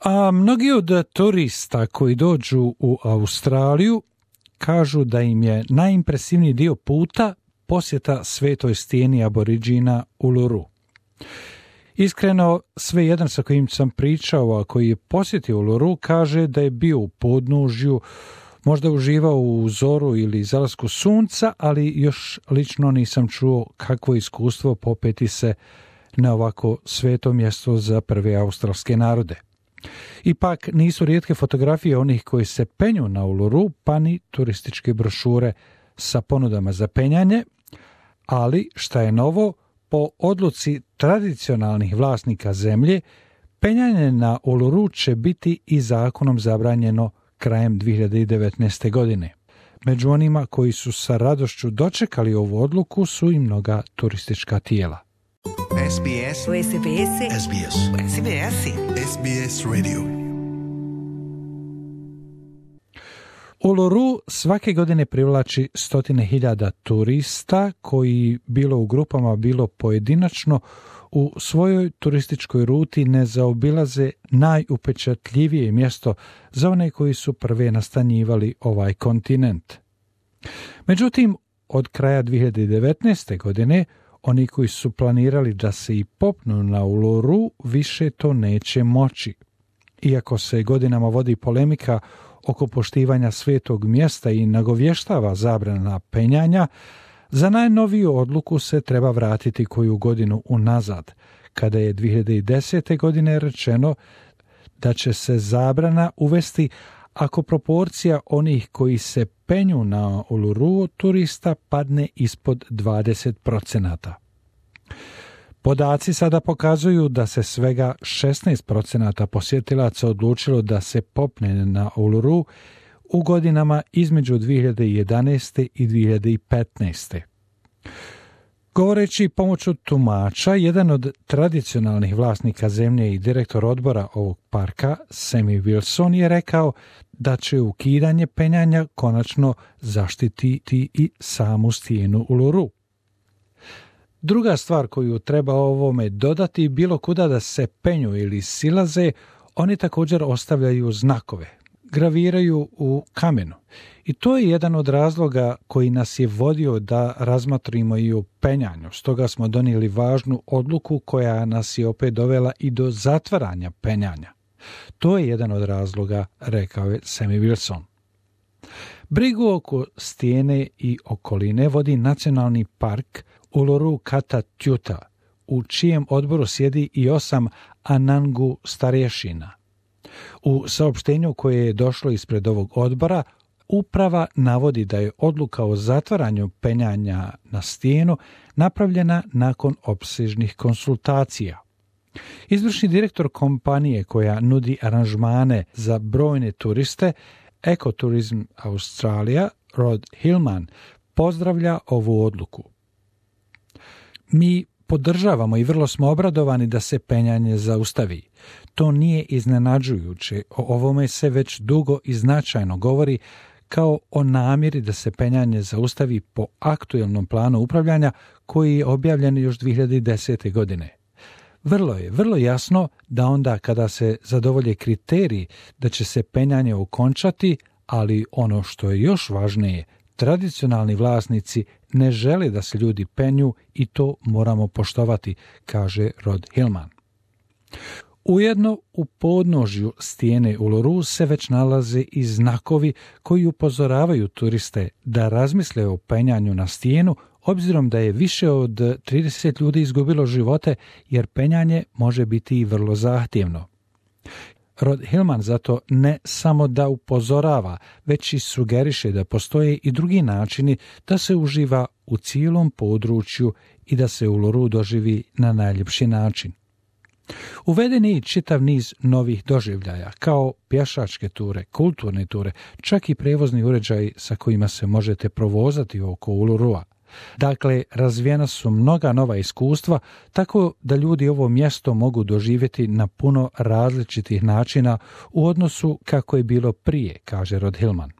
A mnogi od turista koji dođu u Australiju kažu da im je najimpresivniji dio puta posjeta svetoj stijeni Aboriđina Uluru. Iskreno, sve jedan sa kojim sam pričao, a koji je posjetio Uluru, kaže da je bio u podnožju, možda uživao u zoru ili zalasku sunca, ali još lično nisam čuo kakvo iskustvo popeti se na ovako sveto mjesto za prve australske narode. Ipak nisu rijetke fotografije onih koji se penju na Uluru, pa ni turističke brošure sa ponudama za penjanje, ali šta je novo, po odluci tradicionalnih vlasnika zemlje, penjanje na Uluru će biti i zakonom zabranjeno krajem 2019. godine. Među onima koji su sa radošću dočekali ovu odluku su i mnoga turistička tijela. SBS SBS SBS SBS SBS Radio. Uluru svake godine privlači stotine hiljada turista koji bilo u grupama, bilo pojedinačno u svojoj turističkoj ruti ne zaobilaze najupečatljivije mjesto za one koji su prve nastanjivali ovaj kontinent. Međutim, od kraja 2019. godine oni koji su planirali da se i popnu na Uluru više to neće moći. Iako se godinama vodi polemika oko poštivanja svetog mjesta i nagovještava zabrana penjanja, za najnoviju odluku se treba vratiti koju godinu unazad, kada je 2010. godine rečeno da će se zabrana uvesti ako proporcija onih koji se penju na Uluru turista padne ispod 20%. Podaci sada pokazuju da se svega 16% posjetilaca odlučilo da se popne na Uluru u godinama između 2011. i 2015. Govoreći pomoću tumača, jedan od tradicionalnih vlasnika zemlje i direktor odbora ovog parka, Sammy Wilson, je rekao da će ukidanje penjanja konačno zaštititi i samu stijenu Uluru. Druga stvar koju treba ovome dodati, bilo kuda da se penju ili silaze, oni također ostavljaju znakove, graviraju u kamenu. I to je jedan od razloga koji nas je vodio da razmotrimo i o penjanju. Stoga smo donijeli važnu odluku koja nas je opet dovela i do zatvaranja penjanja. To je jedan od razloga, rekao je Sammy Wilson. Brigu oko stijene i okoline vodi nacionalni park Uluru Kata Tjuta, u čijem odboru sjedi i 8 Anangu starješina. U saopštenju koje je došlo ispred ovog odbora, uprava navodi da je odluka o zatvaranju penjanja na stijenu napravljena nakon opsežnih konsultacija. Izvršni direktor kompanije koja nudi aranžmane za brojne turiste, Ecotourism Australia, Rod Hillman, pozdravlja ovu odluku. Mi podržavamo i vrlo smo obradovani da se penjanje zaustavi. To nije iznenađujuće, o ovome se već dugo i značajno govori kao o namjeri da se penjanje zaustavi po aktuelnom planu upravljanja koji je objavljen još 2010. godine. Vrlo jasno da onda kada se zadovolje kriteriji da će se penjanje okončati, ali ono što je još važnije, tradicionalni vlasnici ne žele da se ljudi penju i to moramo poštovati, kaže Rod Hillman. Ujedno u podnožju stijene Uluru se već nalaze i znakovi koji upozoravaju turiste da razmisle o penjanju na stijenu, obzirom da je više od 30 ljudi izgubilo živote jer penjanje može biti i vrlo zahtjevno. Rod Hillman zato ne samo da upozorava, već i sugeriše da postoje i drugi načini da se uživa u cijelom području i da se Uluru doživi na najljepši način. Uveden je i čitav niz novih doživljaja, kao pješačke ture, kulturne ture, čak i prevozni uređaji sa kojima se možete provozati oko Ulurua. Dakle, razvijena su mnoga nova iskustva, tako da ljudi ovo mjesto mogu doživjeti na puno različitih načina u odnosu kako je bilo prije, kaže Rod Hillman.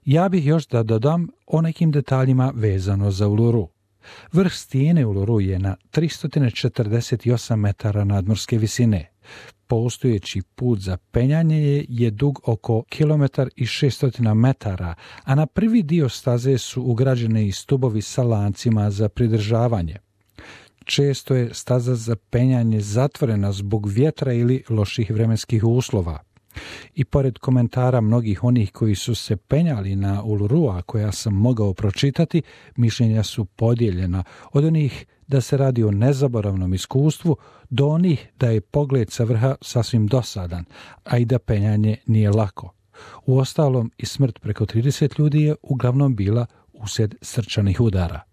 Ja bih još da dodam o nekim detaljima vezano za Uluru. Vrh stijene Uluru je na 348 metara nadmorske visine. Postojeći put za penjanje je dug oko 1,6 km, a na prvi dio staze su ugrađene i stubovi sa lancima za pridržavanje. Često je staza za penjanje zatvorena zbog vjetra ili loših vremenskih uslova. I pored komentara mnogih onih koji su se penjali na Ulurua koja sam mogao pročitati, mišljenja su podijeljena od onih da se radi o nezaboravnom iskustvu do onih da je pogled sa vrha sasvim dosadan, a i da penjanje nije lako. Uostalom i smrt preko 30 ljudi je uglavnom bila uslijed srčanih udara.